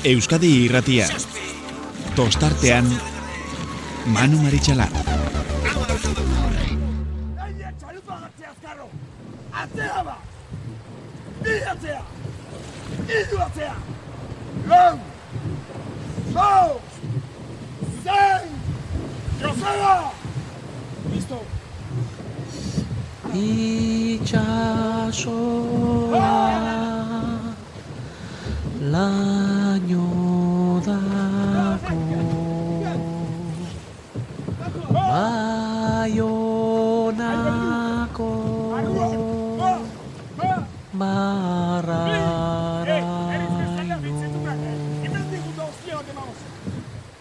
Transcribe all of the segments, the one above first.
Euskadi Irratia. Tostartean Manu Maritxalar. Atzea ba! Bi atzea! Iru atzea! Lau! Lau! Zein! Joseba! Listo! Itxasoa laino dago Baionako marraraino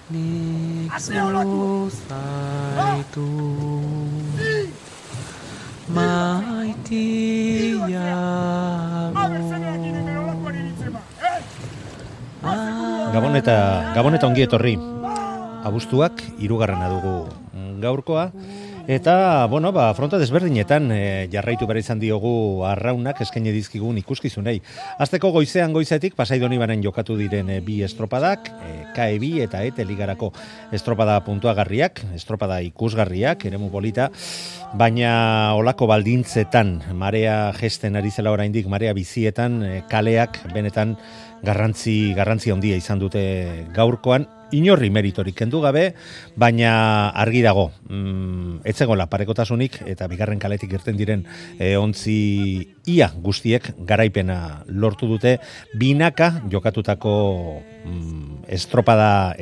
nik zuzaitu Gabon eta ongi etorri. Abuztuak 3. dugu gaurkoa. Eta, fronta desberdinetan jarraitu behar izan diogu arraunak eskaini dizkigun ikuskizunei. Azteko goizetik Pasai Donibaren jokatu diren bi estropadak, KE2 eta ETE ligarako estropada puntuagarriak, estropada ikusgarriak, eremu polita, baina olako baldintzetan, marea gesten ari zela oraindik, marea bizietan, kaleak benetan garrantzi handia izan dute gaurkoan, inorri meritorik kendu gabe, baina argi dago, ez zegoela parekotasunik eta bigarren kaletik irten diren ontzi ia guztiek garaipena lortu dute binaka jokatutako estropada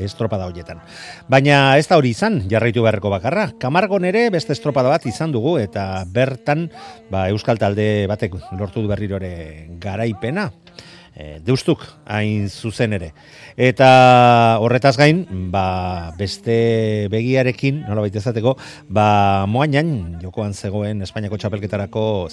horietan. Baina ez da hori izan, jarraitu beharreko bakarra. Kamargon ere beste estropada bat izan dugu eta bertan euskal talde batek lortu du berriro ere garaipena. Deustuk hain zuzen ere. Eta horretaz gain, beste begiarekin, nolabait ezateko, moainan jokoan zegoen Espainiako txapelketarako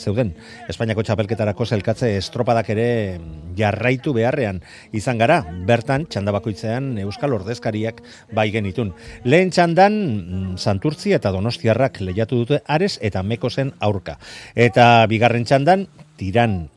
zelkatze estropadak ere jarraitu beharrean izan gara. Bertan, txanda bakoitzean euskal ordezkariak bai genitun. Lehen txandan, Santurtzi eta Donostiarrak lehiatu dute Ares eta Mekosen aurka. Eta bigarren txandan, Tiran,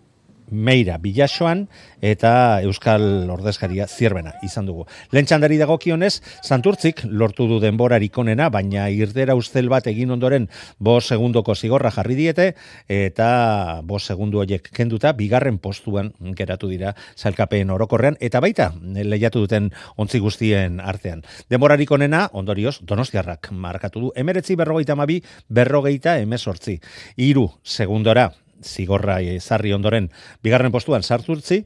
Meira, Bilasoan eta euskal ordezkaria Zierbena izan dugu. Lehen txandari dagokionez, Santurtzik lortu du denborarik onena, baina irdera ustel bat egin ondoren 5 segundoko zigorra jarri diete eta 5 segundu horiek kenduta bigarren postuan geratu dira sailkapen orokorrean eta baita lehiatu duten ontzi guztien artean. Denborarik onena, ondorioz, Donostiarrak markatu du 19:42, 19:18. 3 segundora zigorra ezarri ondoren bigarren postuan Santurtzi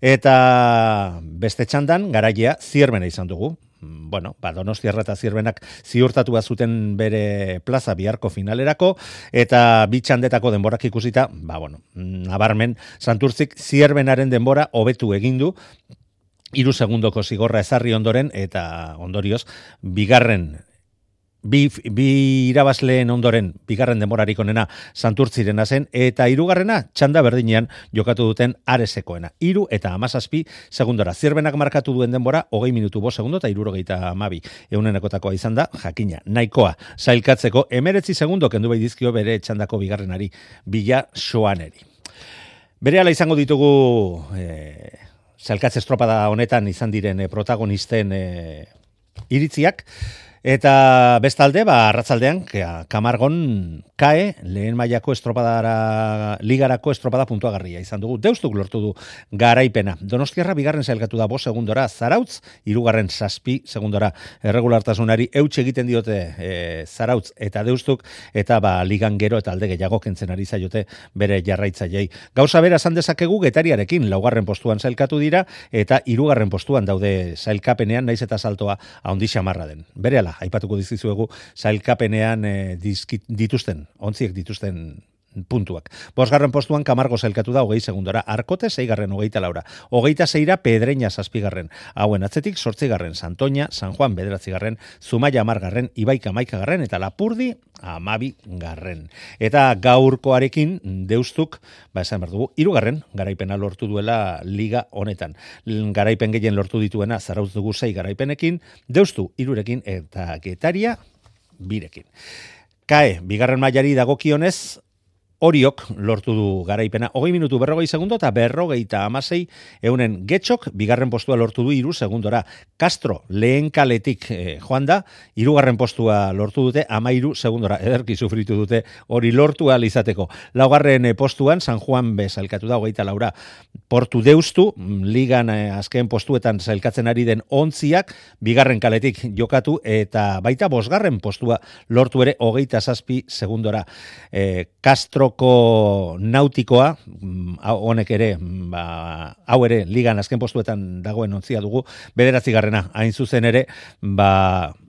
eta beste txandan garaia Zierbena izan dugu. Donostiarra eta Zierbenak ziurtatu zuten bere plaza biharko finalerako eta bi txandetako denborak ikusita, nabarmen Santurtzik Zierbenaren denbora hobetu egin du 3 segundoko zigorra ezarri ondoren eta ondorioz Bi irabazleen ondoren bigarren denborarik onena Santurtzirena zen eta 3. txanda berdinean jokatu duten Aresekoena. 3 eta 17 segundora. Zierbenak markatu duen denbora 20 minutu 5 segundo eta 72 eunenekotakoa izan da, jakina, nahikoa sailkatzeko 19 segundo kendu bai dizkio bere txandako bigarrenari, Bilasoaneri. Berehala izango ditugu sailkatze estropada honetan izan diren protagonisten iritziak. Eta bestalde, arratzaldean, Kamargon KE lehen mailako ligarako estropada puntuagarria izan dugu. Deustuk lortu du garaipena. Donostiarra bigarren sailkatu da 5 segundora, Zarautz, 3. 7 segundora erregulartasunari eutxe egiten diote Zarautz eta Deustuk, eta ligan gero eta alde gehiago kentzen ari zaiote bere jarraitzaileei. Gauza bera esan dezakegu Getariarekin 4. postuan sailkatu dira, eta 3. postuan daude sailkapenean, naiz eta saltoa handi xamarra den. Berehala, aipatuko dizkizuegu sailkapenean ontziek dituzten puntuak. 5. postuan Kamargo sailkatu da 20 segundora, Arkote 6. 24, 26 Pedreña 7. Hauen atzetik 8. Santoña, San Juan 9. Zumaia 10. Ibaika 11. eta Lapurdi 12. Eta gaurkoarekin Deustuk, esan behar dugu, 3. garaipena lortu duela liga honetan. Garaipen gehien lortu dituena Zarautz dugu 6 garaipenekin, Deustu 3 eta Getaria 2. KE, bigarren mailari dagokionez, Oriok lortu du garaipena 20 minutu 40 segundo eta 56 eunen Getxok bigarren postua lortu du 3 segundora. Castro lehen kaletik joan da, 3. postua lortu dute 13 segundora. Ederki sufritu dute hori lortu ahal izateko. 4. postuan San Juan B sailkatu da 24. Portu Deustu ligan azken postuetan sailkatzen ari den 11ak bigarren kaletik jokatu eta baita 5. postua lortu ere 27 segundora. Castroko Nautikoa honek ere hau ere ligan azken postuetan dagoen 11a dugu, 9. hain zuzen ere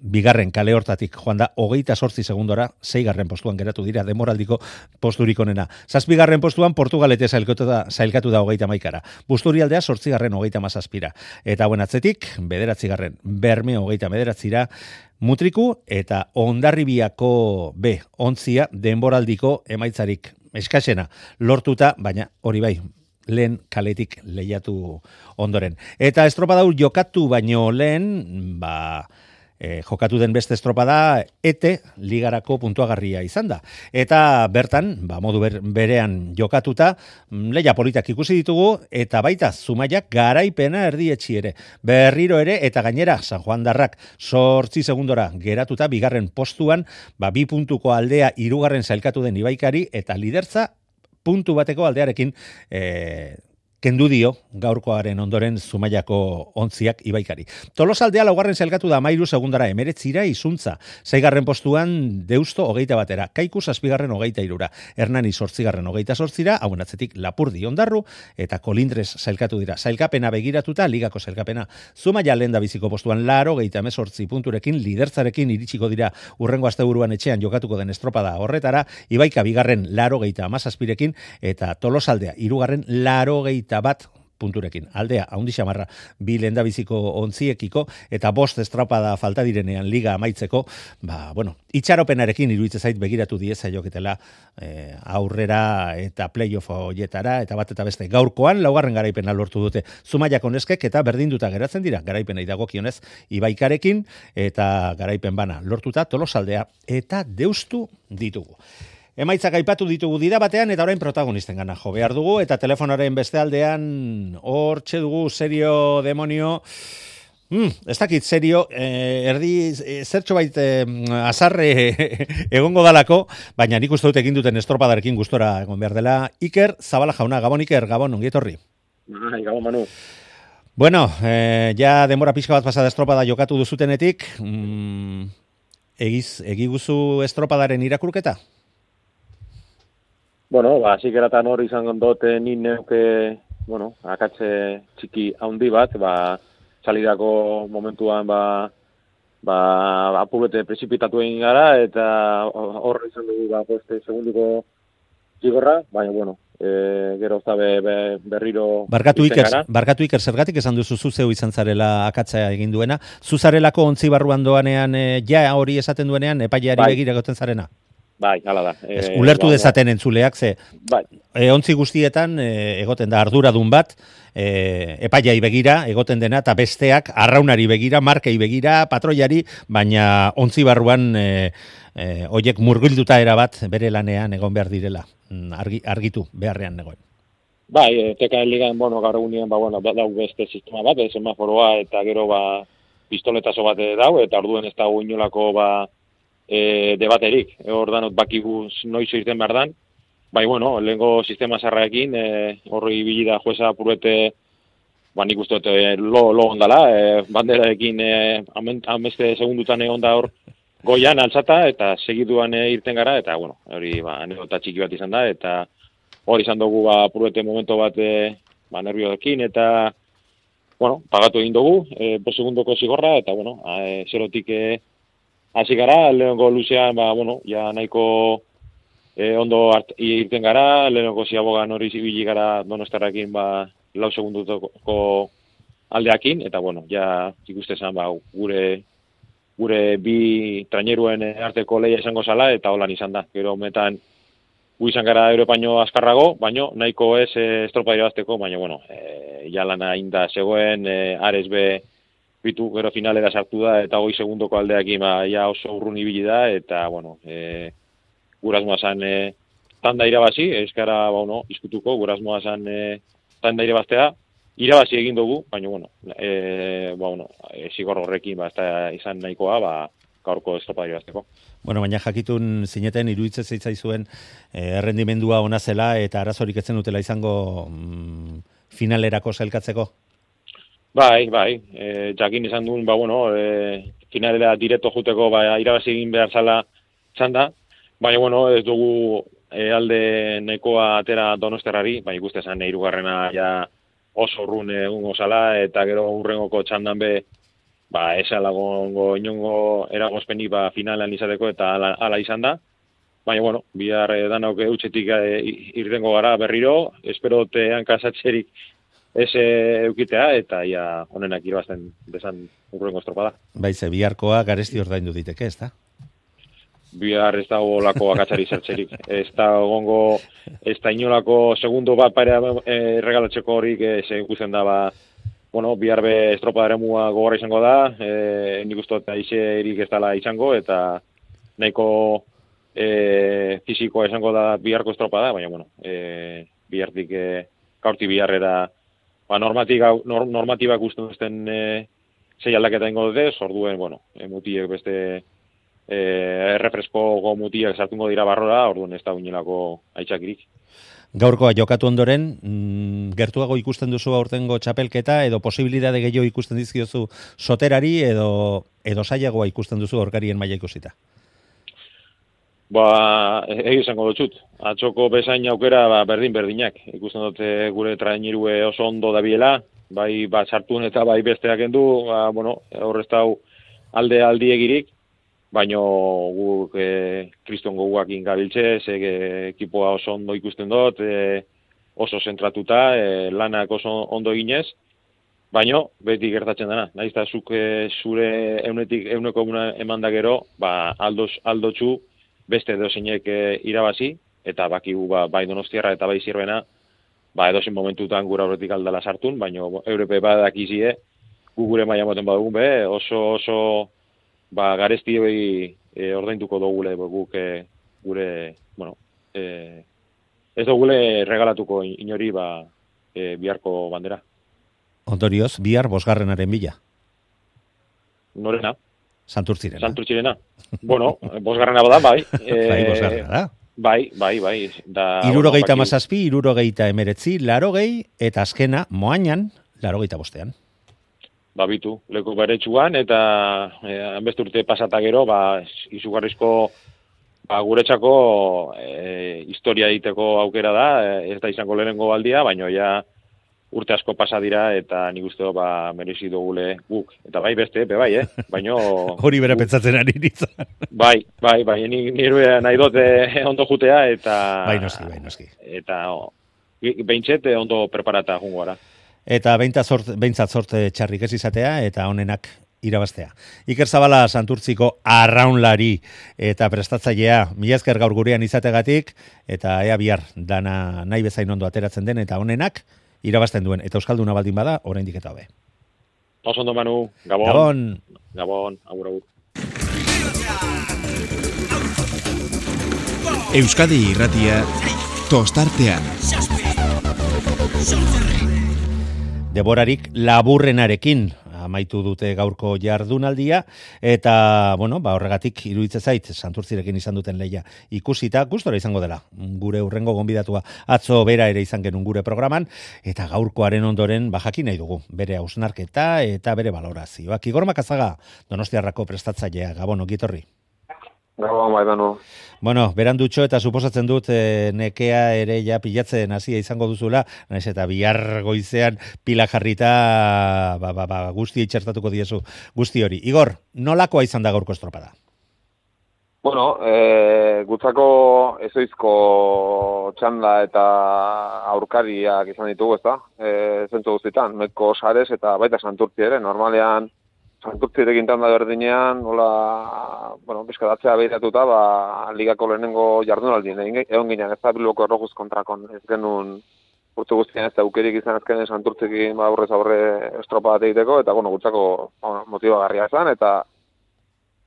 bigarren kale hortatik joan da 28 segundora, 6. postuan geratu dira demoraldiko posturik onena. 7. postuan Portugalete sailkatu da 31. Busturialdea 8. 37. Eta hauen atzetik 9. Bermeo 39. Mutriku eta Hondarribiako B 11a denboraldiko emaitzarik eskasena lortuta, baina hori bai, lehen kaletik lehiatu ondoren. Eta estropada jokatu baino lehen, jokatu den beste estropada ETE ligarako puntuagarria izan da. Eta bertan, modu berean jokatuta, leia politak ikusi ditugu, eta baita Zumaiak garaipena erdietxi ere. Berriro ere, eta gainera, San Juan Darrak 8 segundora geratuta, bigarren postuan, 2 puntuko aldea 3. sailkatu den Ibaikari, eta lidertza puntu bateko aldearekin kendu dio gaurkoaren ondoren Zumaiako 11ak Ibaikari. Tolosaldea 4. sailkatu da 13 segundara 19 izuntza. 6. postuan Deusto 21. Kaiku 7. 23. Hernani 8. 28. Hauen atzetik Lapurdi Ondarru eta Kolindres sailkatu dira. Sailkapena begiratuta ligako sailkapena. Zumaia lehen da biziko postuan 88 punturekin lidertzarekin iritsiko dira urrengo asteburuan etxean jokatuko den estropada horretara. Ibaika bigarren 87rekin eta Tolosaldea 3. 81 punturekin. Aldea, haundi xamarra, 2 lehendabiziko 11ekiko, eta 5 estropada falta direnean liga amaitzeko, itxaropenarekin iruditzen zait begiratu dieza joketela aurrera eta playoff hoietara, eta bat eta beste gaurkoan, 4. garaipena lortu dute Zumaiako neskek, eta berdinduta geratzen dira, garaipenei dagokionez Ibaikarekin, eta garaipen bana lortuta Tolosaldea, eta Deustu ditugu. Emaitzak aipatu ditugu dira batean eta orain protagonisten gana jo behar dugu eta telefonaren beste aldean hortxe dugu Serio Demonio. Ez dakit Serio, erdi zertxo bait azarre egongo dalako, baina nik uste dut egin duten estropadarekin gustora egon behar dela. Iker Zabala jauna, Gabon Iker, Gabon, ongi etorri. Gabon Manu. Bueno, ja denbora pixka bat pasada estropada jokatu duzutenetik, egiguzu estropadaren irakurketa? Bueno, zikeratan hori izan dote nin neuke, akatze txiki handi bat, salidako momentuan, apurete prezipitatu egin gara, eta hor izan dugu, segunduko zigorra, baina, gero berriro... Barkatu Iker, zergatik esan duzu zuzeu izan zarela akatzea egin duena, zuzarelako ontzi barruan doanean, ja hori esaten duenean, epaileari begira goten zarena? Bai, hala da. Ulertu dezaten entzuleak, ze ontzi guztietan egoten da arduradun bat, epaiai begira egoten dena, eta besteak arraunari begira, markei begira, patroiari, baina ontzi barruan hoiek murgilduta erabat bere lanean egon behar direla, argitu beharrean negoen. Bai, TKN ligan, gaur egunean, dau beste sistema bat, semaforoa, eta gero pistoletazo bat dau, eta orduen ez dago inolako debaterik, ordanot bakigu noiz irten behar dan, lehenko sistema zarraekin, horri bilida jueza purete, nik uste lo ondala, banderaekin ameste segundutan egon da hor goian altzata, eta segiduan irten gara, eta hori anekdota txiki bat izan da, eta hori izan dugu purete momento bat nervioekin, eta pagatu egin dugu, 5 segundoko zigorra, eta zerotik hasi gara, lehenko luzean, ja nahiko ondo irten gara, lehenko ziabogan hori zibili gara Donostarrakin 4 segundutoko aldeakin, eta ja ikuste zen gure bi traineruen arteko lehia izango zala, eta holan izan da. Gero metan gu izan gara Europaino azkarrago, baina nahiko ez estropa irabazteko, baina ja lana inda zegoen, Ares be bitu gero finalera sartu da, eta 20 segundoko aldeakin ja oso urrun ibili da, eta gurazmoa zan tanda irabazi, eskara, izkutuko, gurasmoa zen tanda irabaztea, irabazi egin dugu, baina, zigor horrekin, ez da izan nahikoa, gaurko estropada irabazteko. Bueno, baina jakitun zineten iruditzen zaizuen errendimendua ona zela eta arazorik etzen dutela izango finalerako sailkatzeko? Bai, jakin izan duen, finalera direkto juteko irabazi egin behar zala txanda, baina, ez dugu alde nahikoa atera Donostiarrari, baina ikuste zen hirugarrena ja oso urrun egungo zala, eta gero urrengoko txandan esalagongo inongo eragozpenik finalan izateko, eta ala izan da. Baina, bihar danok eutxetik irtengo gara berriro, espero hankasatzerik ez eukitea, eta ia honenak irabazten desan urrengo estropada. Baize, biharkoa garesti ordaindu diteke, ez da? Bihar ez dago lako akatzari zertzerik. Ez da gongo, ez da inolako segundo bat pare regalatzeko horik ikusten da, bihar be estropada eremua gogorra izango da, nik uste eta izerik ez dela izango, eta nahiko fizikoa izango da biharko estropada, baina, bihartik gaurti biharrera normatibak usten duzten zei aldaketa ingo dute, orduen, mutiek beste errefresko mutiak sartungo dira barrora, orduan ez da uinelako aitzakirik. Gaurkoa jokatu ondoren, gertuago ikusten duzu aurtengo txapelketa, edo posibilidade gehiago ikusten dizkiozu soterari, edo zailagoa ikusten duzu aurkarien maila ikusita? Izango dutxut. Atxoko bezain aukera berdinak. Ikusten dute gure trainirue oso ondo dabiela, bai sartun eta bai besteak endu, horrez dau aldiegirik, baina guk kriston goguak ingabiltze, ekipoa oso ondo ikusten dut, oso zentratuta, lanak oso ondo eginez, baina beti gertatzen dena. Nahiz eta zuk zure euneko eman da gero, aldotxu beste edozeinek irabazi, eta bakigu bai Donostiarra eta bai Zirbena, edozein momentutan gura horretik aldala sartun, baina Europe badakizie, gu gure maila moten badugun oso garesti ordainduko dugule guk gure, ez dugule regalatuko inori biharko bandera. Ondorioz, bihar bosgarrenaren bila? Norena? Santurtzirena. Bosgarrena bada, bai. Bosgarrena da. Bai. 67, 69, 80, eta azkena, moainan, 85. Bitu, leku beretsuan, eta hanbeste urte pasata gero, izugarrizko guretzako historia egiteko aukera da, ez da izango lehenengo aldia, baina ja urte asko pasa dira, eta nik uste merezi dugule guk. Eta bai beste, baina... Hori bere pentsatzen ari nintzen. Bai, nire nahi dut ondo jutea, eta... Bai noski. Eta behintzet ondo preparata jungo gara. Eta behintzat zorte txarrik ez izatea, eta honenak irabaztea. Iker Zabala Santurtziko arraunlari eta prestatzailea, mila esker gaur gurean izategatik, eta ea bihar dana nahi bezain ondo ateratzen den, eta honenak irabazten duen, eta euskalduna baldin bada, oraindik eta hobe. Oso ondo, Manu. Gabon, agur. Euskadi Irratia, tostartean. Deborarik laburrenarekin amaitu dute gaurko jardunaldia, eta, horregatik iruditzen zait, Santurtzirekin izan duten lehia ikusita, gustora izango dela, gure urrengo gonbidatua atzo bera ere izan genuen gure programan, eta gaurkoaren ondoren, jakin nahi dugu, bere hausnarketa eta bere balorazioak. Igor Makazaga, Donostiarrako prestatzailea, Gabon, ongitorri. Gabon, bai, Manu. Berandutxo eta suposatzen dut nekea ere ja pilatzen hasia izango duzula, naiz eta bihar goizean pila jarrita guzti itxertatuko diezu guzti hori. Igor, nolakoa izan da gaurko estropada? Gutzako ezoizko txanda eta aurkariak izan ditugu, ezta? Zentzu guztietan, Metko Sares eta baita Santurtzi ere, normalean Santurtzirekin tanda berdinean, bizkadatzea behiratuta, ligako lehenengo jardunaldien, egon ginen, ez da Bilboko Errojuz kontrakon, ez genuen urte guztien ez da aukerik izan ezkenen Santurtzikin aurrez aurre estropa bat egiteko, eta gutzako motibagarria izan, eta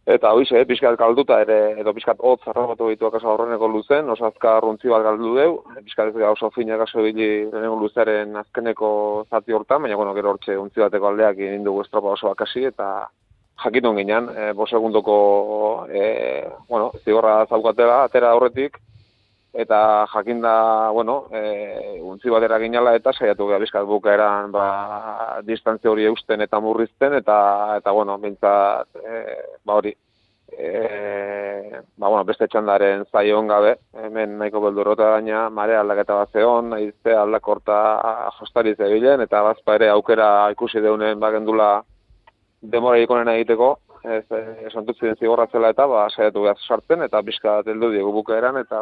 Eta hoize, pixkat galduta ere, edo pixkat hotz arrabatu ditu akaso aurreneko luzen, oso azkar runtzi bat galdu deu, pixkat ez gara oso finak aso bili lehenengo luzaren azkeneko zati hortan, baina bueno, gero hortxe untzi bateko aldeak egin dugu estropa oso akasi, eta jakitun ginen, 5 segundoko zigorra zaukatela, atera horretik, eta jakinda, untzi batera ginala eta saiatu gara bizkat bukaeran distantzia hori eusten eta murrizten, eta bintzat, beste txandaren zaion gabe, hemen nahiko beldurrota gaina, mare aldaketa bat zeon, nahize aldakorta jostari zebilen, eta bazpa ere aukera ikusi deunen bagendula demora ikonena egiteko, santurtzien zigorratzela eta saiatu behar sartzen, eta bizka teldu diegu bukaeran, eta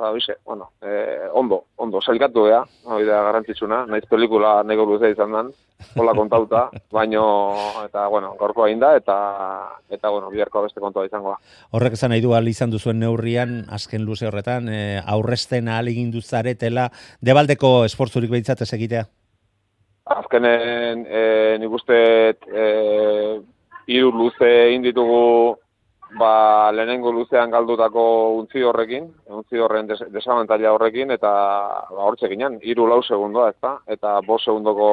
ondo, sailkatu beha, hori da garrantzitsuna, nahiz pelikula nego luzea izan den, hola kontauta, eta gaurkoa egin da, eta biharkoa beste kontua izango da. Horrek esan nahi du ahal izan duzuen neurrian, azken luze horretan, aurrezten ahal egin duzaretela, debaldeko esportzurik behitzat ez egitea? Azkenen, nik uste 3 luze egin ditugu lehenengo luzean galdutako untzi horren desabantaila horrekin, eta hortxe ginen, 3-4 segundoa, ezta? Eta 5 segundoko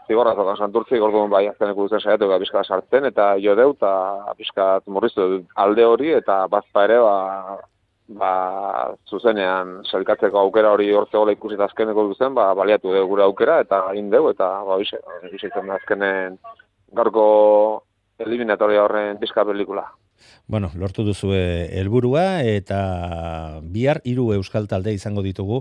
zigorra santurtzik, orduan azkeneko luzean saiatu gara pixka sartzen, eta jo deu, eta pixka murriztu alde hori, eta bazpa ere, zuzenean sailkatzeko aukera hori hortzegola ikusita azkeneko luzen, baliatu dugu gure aukera, eta egin deu, eta bizitzen azkenen gaurko eliminatoria horren pizka pelikula. Bueno, lortu duzu helburua eta bihar 3 euskal talde izango ditugu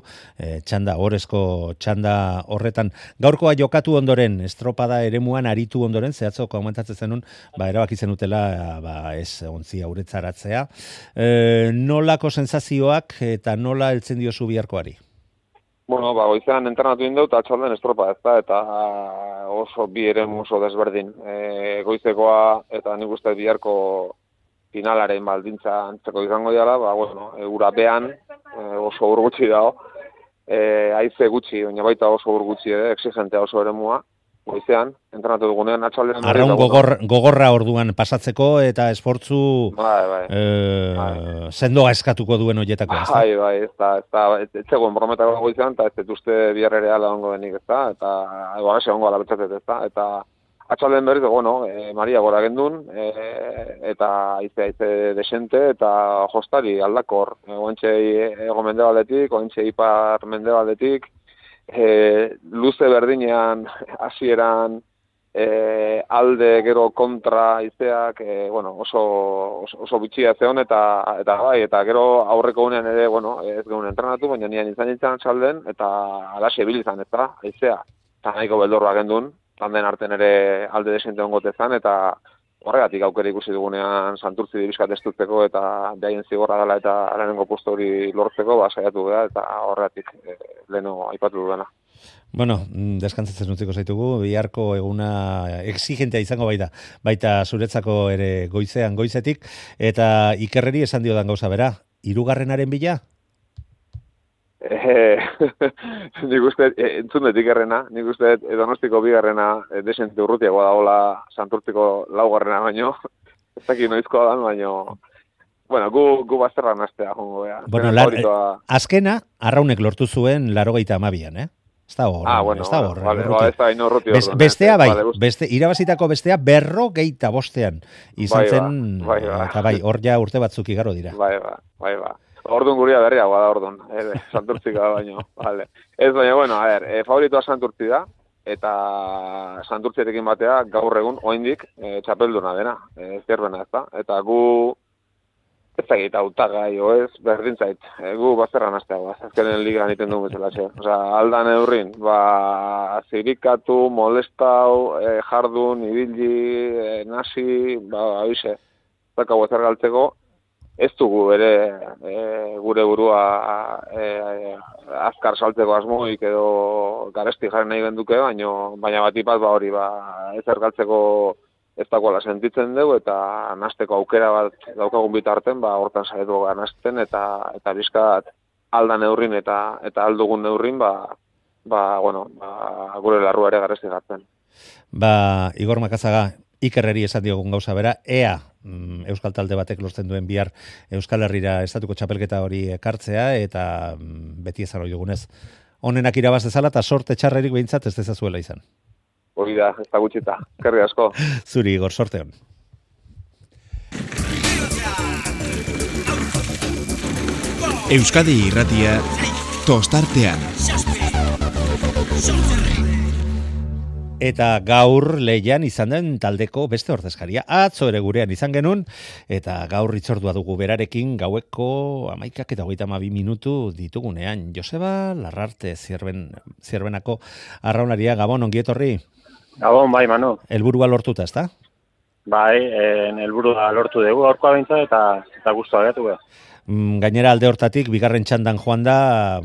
orezko txanda horretan. Gaurkoa jokatu ondoren, estropada eremuan aritu ondoren, zehatzo komentatzen zenun, erabaki zenutela ez ontzi auretzaratzea. Nolako sensazioak eta nola heltzen diozu biharkoari? Goizean entrenatu indau eta atxalden estropa eta oso bi eremu oso desberdin. Goizekoa eta nik uste biharko finalaren baldintza antzeko izango dira, urapean oso ur gutxi dago, haize gutxi, baina baita oso ur gutxi exigentea oso eremua. Goizean, entrenatu dugunean atxaldean... Arraun gogorra orduan pasatzeko eta esportzu sendoa eskatuko duen horietako, ez da? Ez zegoen brometako goizean, eta ez uste bihar ere ala ongo denik, ez da? Eta egoagase ongo alabetzatet, ez da? Eta atxaldean berriz, Maria gora gendun, eta aize desente, eta jostari aldakor. Oentxe ego mendebaldetik, oentxe ipar mendebaldetik, luze berdinean hasieran alde gero kontra izeak oso bitxia zeon eta gero aurreko unean ere ez gehun entrenatu, baina nian izan txalden eta alaxe bilizan ez da, aizea eta nahiko beldorra gendun, tanden arten ere alde desente ongotezan eta horregatik aukera ikusi dugunean santurtzi dibizkat estutzeko eta behaien zigorra dela eta lehenengo posto hori lortzeko saiatu gara eta horregatik leheno aipatu dudana. Bueno, deskantzatzen utziko zaitugu, biharko eguna exigentea izango baita zuretzako ere goizetik, eta Ikerreri esan diodan gauza bera, 3. bila? Nik uste, entzun dut Ikerrena, nik uste Donostiko 2. Desente urrutiagoa dagoela Santurtziko 4. baino, ez dakit noizkoa dan, baino, gu bazterran astea, jongo bea. Azkena, Arraunek lortu zuen 82an, Ez da horren. Ez da ino urruti orduan. Bestea irabazitako bestea 45 izan zen, eta hor ja urte batzuk igaro dira. Bai. Orduan guria berriagoa da orduan, Santurtzika baino. Ez baina, favoritoa Santurtzi da, eta Santurtzietekin batea gaur egun, oindik, txapelduna dena, zierbena ez da. Eta gu, ez dakit hautagai, ez, berdintzait, gu bazterran asteagoa, azkenen ligan iten dugu bezala. Aldan eurrin, zirikatu, molestau, jardun, ibili, nasi, abize, zakau ezer galtzeko, ez dugu ere gure burua azkar saltzeko asmoik edo garesti jarri nahi genduke, baina batipat hori ezer galtzeko ez dagoela sentitzen dugu eta nasteko aukera bat daukagun bitarten, hortan saiatu ganazten eta bizkat aldan neurrin eta aldugun neurrin, gure larrua ere garesti gartzen. Igor Makazaga, Ikerreri esan diogun gauza bera, ea Euskal talde batek lortzen duen bihar Euskal Herrira estatuko txapelketa hori ekartzea, eta beti ezan hori dugunez, onenak irabaz dezala, eta sorte txarrerik behintzat ez dezazuela izan. Hori da, ez da gutxita. Kerri asko. Zuri, Igor, sorte hon. Euskadi Irratia tostartean. Eta gaur lehian izan den taldeko beste ordezkaria. Atzo ere gurean izan genuen, eta gaur itzordua dugu berarekin gaueko 11:32 minutu ditugunean. Joseba Larrarte, Zierbenako arraunaria. Gabon, ongi etorri? Gabon, bai, Manu. Helburua lortuta, ezta? Bai, helburua lortu dugu gaurkoa behintzat eta gustua gatu behar. Gainera alde hortatik, bigarren txandan joan da,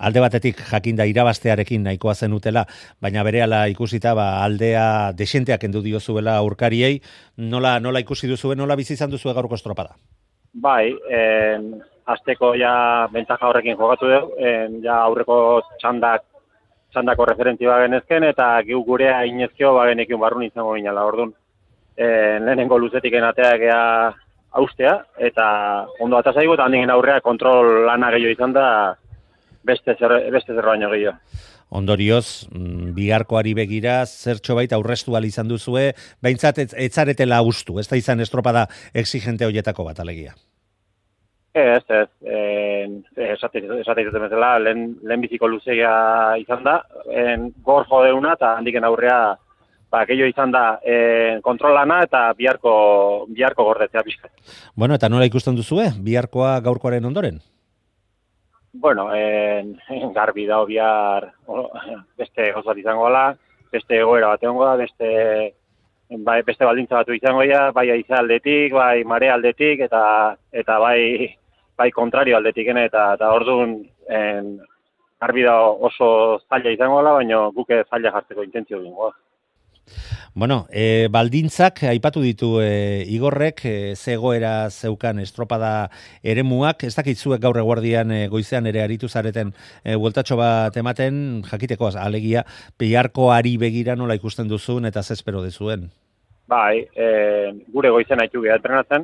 alde batetik jakinda irabaztearekin nahikoa zenutela, baina berehala ikusita aldea desenteak endu diozuela aurkariei, nola ikusi duzuen, nola bizi izan duzue gaurko estropada? Bai, azteko ja bentaja horrekin jokatu dugu, ja aurreko txandako referentzi bagenezken, eta gurea inezkio bagenekin barrun izango ginala, orduan. Lehenengo luzetik enateak ea austea, eta ondo atazaigu, eta handiken aurrea kontrol lana gehiago izan da beste zer baino gehiago. Ondorioz, biharkoari begira, zertxo baita aurrestu izan duzue, behintzat etzaretela ustu, ez da izan estropada exigente horietako bat, alegia. Ez, esate izuten bezala, lehen biziko luzegia izan da, gor jodeuna, eta handiken aurrea gehiago izan da kontrolana eta biharko gordetzea pixka. Bueno, eta nola ikusten duzue, biharkoa gaurkoaren ondoren? Bueno, garbi da bihar beste gozat izango da, beste egoera bat egongo da, beste baldintza batu izango da, bai aiza aldetik, bai mare aldetik, eta bai kontrario aldetik, eta orduan garbi da oso zaila izango da, baina guke zaila jartzeko intentzio gingo da. Bueno, baldintzak aipatu ditu Igorrek, zegoera zeukan estropada eremuak, ez dakitzuek gaur eguerdian goizean ere aritu zareten bueltatxo bat ematen, jakiteko alegia, biharkoari begira nola ikusten duzun eta zespero dezuen? Bai, gure goizen haitu geha entrenatzen,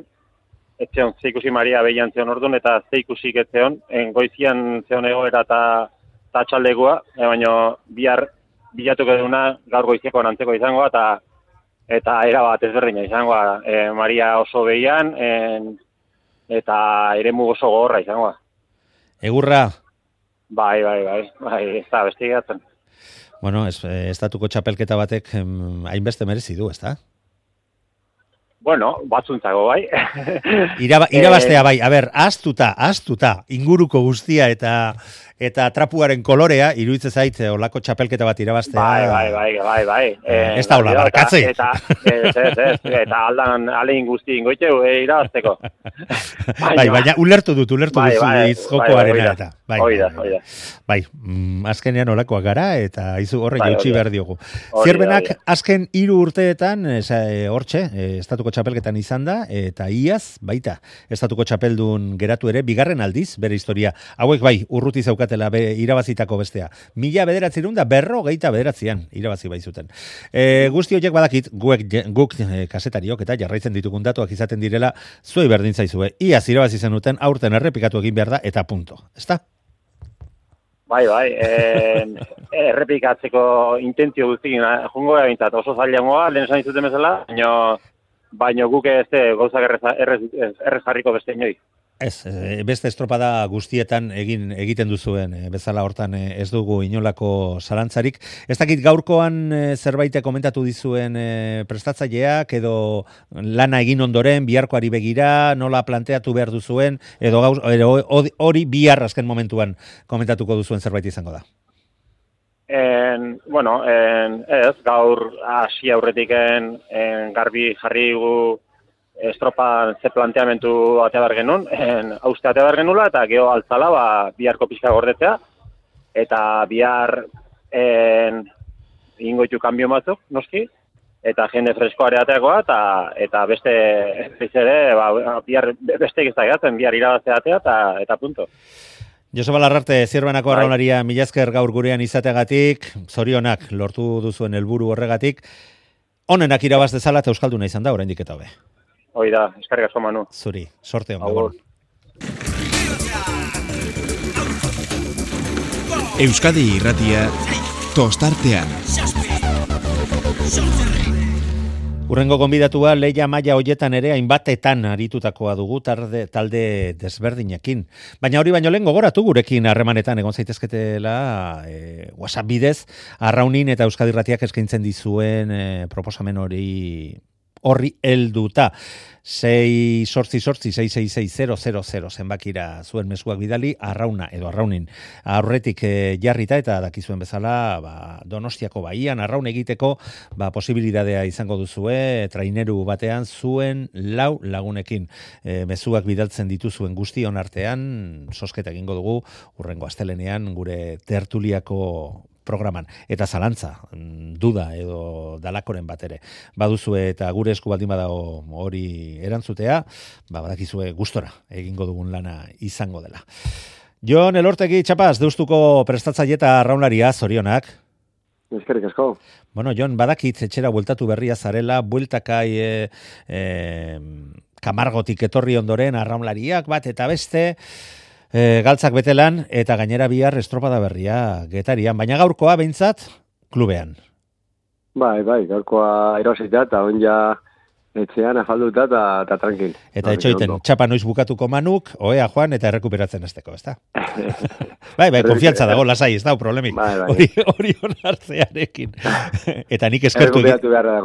etzeon zeikusi Maria behian zeon orduan, eta zeikusik etzeon, goizian zeon egoera eta txaldegua, baina bihar bilatuko duguna gaur goizeko antzeko izango eta erabat ezberdina izango Maria oso behian eta eremu oso gogorra izango. Egurra? Bai, ez da beste egatzen. Bueno, estatuko txapelketa batek hainbeste merezi du, ez da? Bueno, batzuntzako bai. Irabaztea bai, a ber, ahaztuta, inguruko guztia eta trapuaren kolorea, iruditzen zait, olako txapelketa bat irabaztea. Bai. Ez da hola, barkatzei. Eta aldan alein guzti ingoiteu irabazteko. Baina ulertu duzu jokoaren eta. Oida. Bai, azkenean olakoak gara, eta izu horre jautsi behar diogu. Zierbenak azken 3 urteetan, hortxe, estatuko txapelketan izan da, eta iaz, baita, estatuko txapeldun geratu ere, bigarren aldiz, bere historia. Hauek bai, urruti zaukatela irabazitako bestea. 1999an irabazi baizuten. Guzti horiek badakit, guk kasetariok eta jarraitzen ditugun datuak izaten direla, zuei berdin zaizue. Iaz irabazi zenuten, aurten errepikatu egin behar da, eta punto. Ezta? Bai, errepikatzeko intentzio guztikin jungo egintzat oso zailangoa, lehen esan izuten bezala, baina guk ez gauzak errez jarriko beste inoi. Ez, beste estropada guztietan egiten duzuen, bezala hortan ez dugu inolako zalantzarik. Ez dakit gaurkoan zerbait komentatu dizuen prestatzaileak, edo lana egin ondoren, biharkoari begira, nola planteatu behar duzuen, edo hori bihar azken momentuan komentatuko duzuen zerbait izango da. Ez, gaur hasi aurretik garbi jarri gu estropa ze planteamentu atea behar genuen, hauste atea behar genula, eta geho altzala biharko pixka gordetzea, eta bihar ingoitu kanbio batzuk, noski, eta jende freskoare ateakoa, eta beste ere, bihar beste ez da egatzen, bihar irabaztea atea, eta punto. Joseba Larrarte, Zierbenako arraunaria, mila esker gaur gurean izateagatik, zorionak lortu duzuen helburu horregatik. Onenak irabaz dezala eta euskalduna izan da, oraindik eta hobe. Hoi da, eskarrik asko Manu. Zuri, sorte on Agur. gabon. Euskadi Irratia tostartean. Urrengo gonbidatua Leia maila hoietan ere hainbatetan aritutakoa dugu talde desberdinekin. Baina hori baino lehen gogoratu gurekin harremanetan egon zaitezketela WhatsApp bidez, Arraunin eta Euskadi Irratiak eskaintzen dizuen proposamen horri helduta. 688-666-000 zenbakira zuen mezuak bidali, Arrauna edo Arraunin aurretik jarrita eta dakizuen bezala Donostiako baian Arraun egiteko posibilitatea izango duzue traineru batean zuen 4 lagunekin mezuak bidaltzen dituzuen guztion artean sosketa egingo dugu urrengo astelenean gure tertuliako programan. Eta zalantza, duda edo dalakoren bat ere. Baduzue eta gure esku baldin badago hori erantzutea, badakizue gustora egingo dugun lana izango dela. Jon Elortegi Txapaz, Deustuko prestatzaile eta arraunlaria, zorionak. Eskerrik asko. Bueno, Jon, badakit etxera bueltatu berria zarela, bueltakai Kamargotik etorri ondoren arraunlariak bat eta beste, galtzak betelan eta gainera bihar estropada berria Getarian, baina gaurkoa behintzat klubean. Bai, gaurkoa erosita eta onja etxean afalduta eta tranquil. Eta etxoiten, txapa noiz bukatuko Manuk, oea joan eta errekuperatzen azteko, ezta? Bai, konfiantza dago, lasai, ez da, problemik. Hori onartzearekin. Eta nik errekuperatu beharra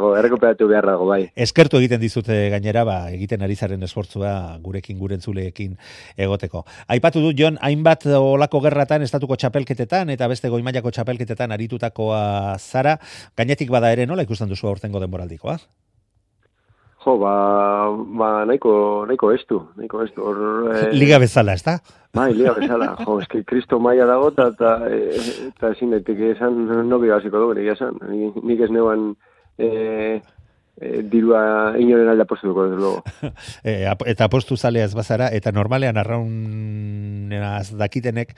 dago, bai. Eskertu egiten dizute gainera, egiten ari zaren esfortzua gurekin, gure entzuleekin egoteko. Aipatu dut, Jon, hainbat olako gerratan, estatuko txapelketetan, eta beste goimailako txapelketetan aritutakoa zara, gainetik bada ere, nola ikusten duzu aurtengo denboraldikoa? Jo, nahiko estu. Liga bezala, ez da? Bai, liga bezala. Jo, eski kristo maila dago, eta ezin daiteke esan, nobi basiko dugu, esan. Nik ez neuan dirua inoren alde apostuko, desde luego. Eta apostu zaleaz bazara, eta normalean arraunaz dakitenek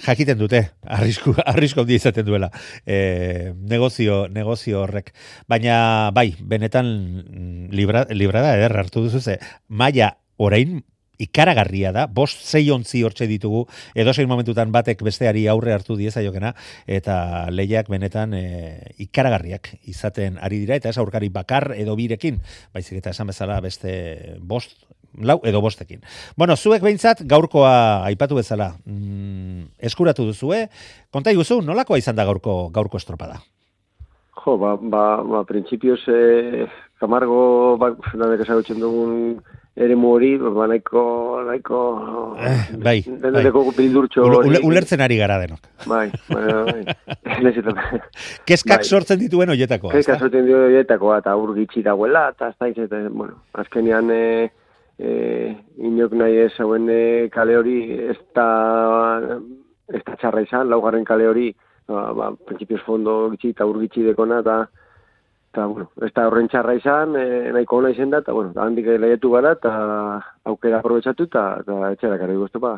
jakiten dute, arrisko handi izaten duela negozio horrek. Baina, bai, benetan librada ederra hartu duzu ze, maila orain ikaragarria da, 5-6 ontzi hortxe ditugu, edozein momentutan batek besteari aurre hartu diezaiokena, eta lehiak benetan ikaragarriak izaten ari dira, eta ez aurkari bakar edo birekin, baizik eta esan bezala beste 4 edo 5ekin. Bueno, zuek behintzat gaurkoa aipatu bezala eskuratu duzue, konta iguzu, nolakoa izan da gaurko estropada? Jo, printzipioz Kamargo, nanek esagutzen dugun eremu hori, nahiko bai. Bildurtxo hori. Ulertzen ari gara denok. Bai. Keskak sortzen dituen hoietakoa. Keskak sortzen dituen hoietakoa, eta urgitxi dagoela, eta azkenean inok nahi ez hauen kale hori ez da txarra izan, 4. kale hori, principios fondo gitxi eta urgitxi dekona, eta ez da horren txarra izan, nahiko ona izan da, eta handik lehiatu gara, eta aukera aprobetsatu, eta etxera karri guztopa.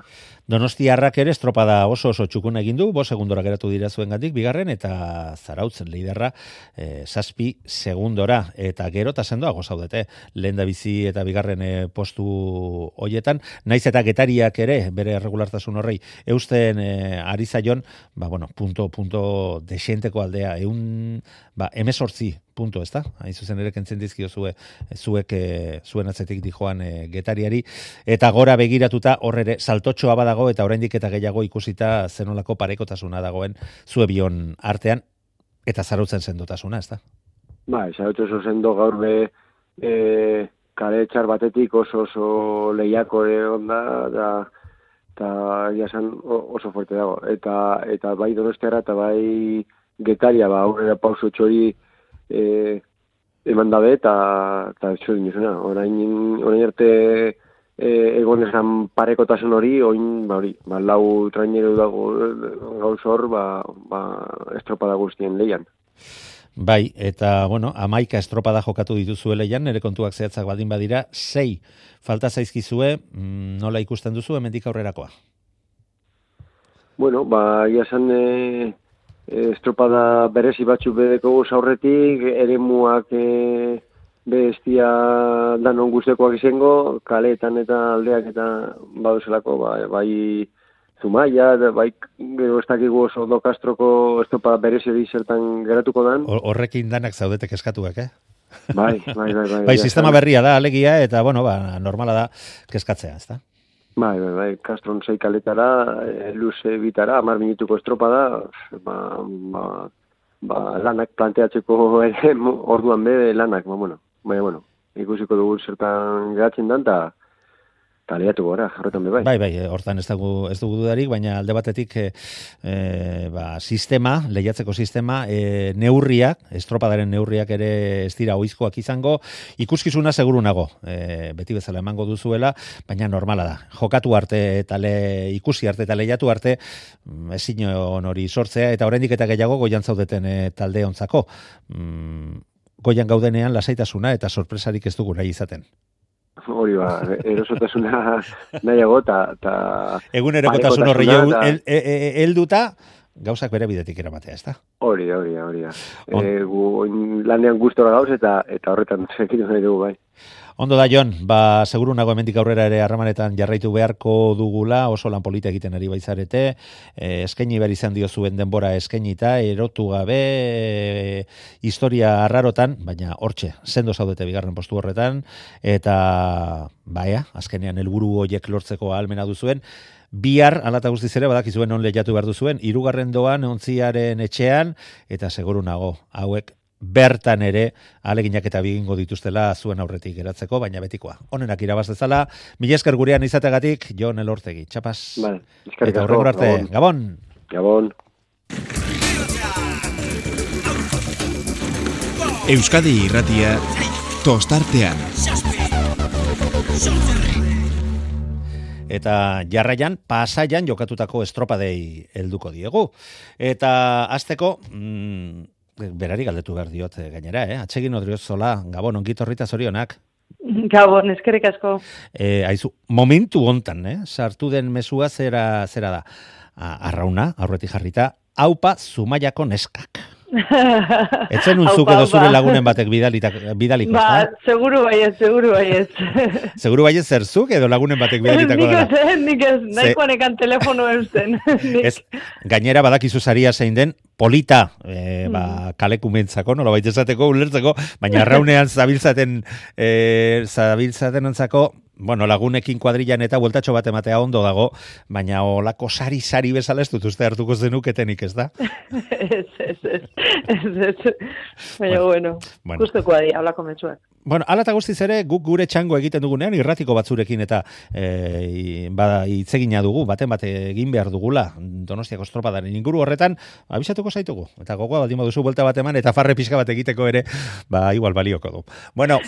Donostiarrak ere estropada oso txukuna egin du, 5 segundora geratu dira zuengatik, bigarren, eta Zarautzen liderra 7 segundora, eta gero eta sendoago zaudete, lehen da bizi eta bigarren postu hoietan, naiz eta Getariak ere, bere regulartasun horrei, eusten ari zaion, punto desienteko aldea, 18 punto, ez da? Hain zuzen ere kentzen dizkio zuek zuen atzetik dijoan Getariari, eta gora begiratuta horre saltotxoa badago, eta oraindik eta gehiago ikusita zenolako parekotasuna dagoen zue bion artean, eta Zarautzen sendotasuna, ez da? Zarautzen oso sendo gaur kale txar batetik oso lehiako onda, eta jasan oso fuerte dago. Eta bai Donostiara eta bai Getaria, aurrera pauso txori eman dabe, eta txori nizuna. Orain arte egon esan parekotasun hori, hori, 4 traineru dago gauz hor, estropada guztien lehian. Bai, eta, 11 estropada jokatu dituzue lehian, nire kontuak zehatzak baldin badira, 6 falta zaizkizue, nola ikusten duzu hemendik aurrerakoa? Iasan estropada berezi batzu bedeko aurretik, eremuak bestia danon guztekoak izango, kaleetan eta aldeak eta baduzelako, bai Zumaia, bai gero ez dakigu oso do Castroko estropada berezi zertan geratuko dan. Horrekin danak zaudetek eskatuak, Bai. Bai, sistema berria da, alegia, eta, normala da keskatzea, ez da? Bai, Castron 6 kaletara, luze bitara, 10 minutuko estropada, lanak planteatzeko orduan lanak, baina, ikusiko dugu zertan geratzen dan, eta lehiatu gora, horretan bai. Bai, hortan ez dugu dudarik, baina alde batetik sistema, lehiatzeko sistema, neurriak, estropadaren neurriak ere ez dira oizkoak izango, ikuskizuna seguru nago, beti bezala emango duzuela, baina normala da. Jokatu arte eta ikusi arte eta lehiatu arte, ezin hori sortzea, eta oraindik eta gehiago goian zaudeten talde ontzako. Goian gaudenean lasaitasuna eta sorpresarik ez dugu nahi izaten. Hori erosotasuna nahiago eta egunerokotasun horri helduta gauzak bere bidetik eramatea, ezta? Hori da. Lanean gustora gauz eta horretan sekin nahi dugu bai. Ondo da, Jon, seguru nago hemendik aurrera ere harremanetan jarraitu beharko dugula, oso lan polita egiten ari baizarete, eskaini behar izan diozuen denbora eskainita, erotu gabe, historia arrarotan, baina hortxe, sendo zaudete bigarren postu horretan, eta azkenean helburu horiek lortzeko ahalmena duzuen, bihar, alata guztiz ere, badakizuen on lehiatu behar duzuen, 3. doan, Ontziaren etxean, eta seguru nago, hauek, bertan ere aleginak eta bigingo dituztela zuen aurretik geratzeko, baina betikoa. Honenak irabaz dezala, mila esker gurean izategatik, Jon Elortegi. Txapaz. Eta horrengor arte, Gabon! Gabon! Euskadi Irratia, tostartean. Eta jarraian, Pasaian jokatutako estropadei helduko diegu. Eta hasteko, berari galdetu behar diot gainera, Atsegin Odriozola, Gabon, ongitorrita zorionak. Gabon, eskerrik asko. Aizu, momentu hontan, sartu den mesua zera da. Arrauna, aurretik jarrita, aupa Zumaiako neskak. Etzen unzuk edo zure lagunen batek bidaliko, seguru baiez. Seguru baiez zerzuk edo lagunen batek bidalitako dela? Nik ez, nahikoan ekan telefono eusten. Gainera badakizu saria zein den, polita, kalekumentzako, nola baita esateko, ulertzeko, baina arraunean zabiltzaten ontzako, lagunekin kuadrillan eta bueltatxo bat ematea ondo dago, baina olako sari bezala ez dut uste hartuko zenuketenik, ez da? Ez. Baina, guzteko adi, hablako metzuak. Ala eta guztiz ere, guk gure txango egiten dugunean, irratiko batzurekin eta hitzegina dugu, baten egin behar dugula, Donostiako estropadaren inguru horretan, abisatuko zaitugu. Eta gogoa baldin baduzu buelta bat eman, eta farre pixka bat egiteko ere, igual balioko du.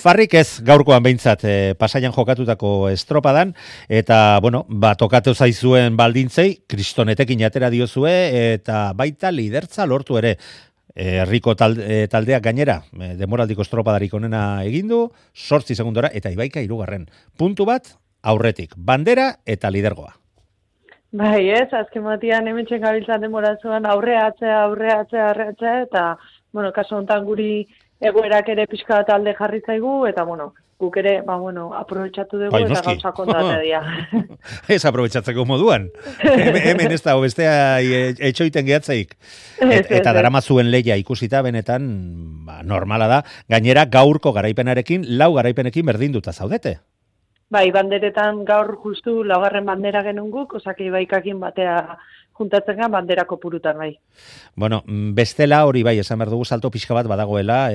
Farrik ez gaurkoan behintzat Pasaian jokatutako estropadan, eta, tokatu zaizuen baldintzei, kristonetekin atera diozue, eta baita lidertza lortu ere. Herriko taldeak gainera, demoraldiko estropadarik onena egindu, 8 segundora, eta Ibaika 3. Puntu bat, aurretik, bandera eta lidergoa. Bai, azken batian hementxen gabiltzan demoratzuan aurreatzea, eta, kaso honetan guri egoerak ere pixka bat alde jarri zaigu, eta, guk ere, aprobetxatu dugu eta gauza kontate dira. Ez aprobetxatzeko moduan. Hemen ez da, bestea etxoiten gehatzaik. Eta daramazuen lehia ikusita benetan, normala da. Gainera, gaurko garaipenarekin, 4 garaipenekin berdinduta zaudete. Bai, banderetan gaur justu 4. bandera genuen guk, osake Ibaikakin batea juntatzen gan banderako purutan, bai. Bestela hori bai, esan behar dugu salto pixka bat badagoela,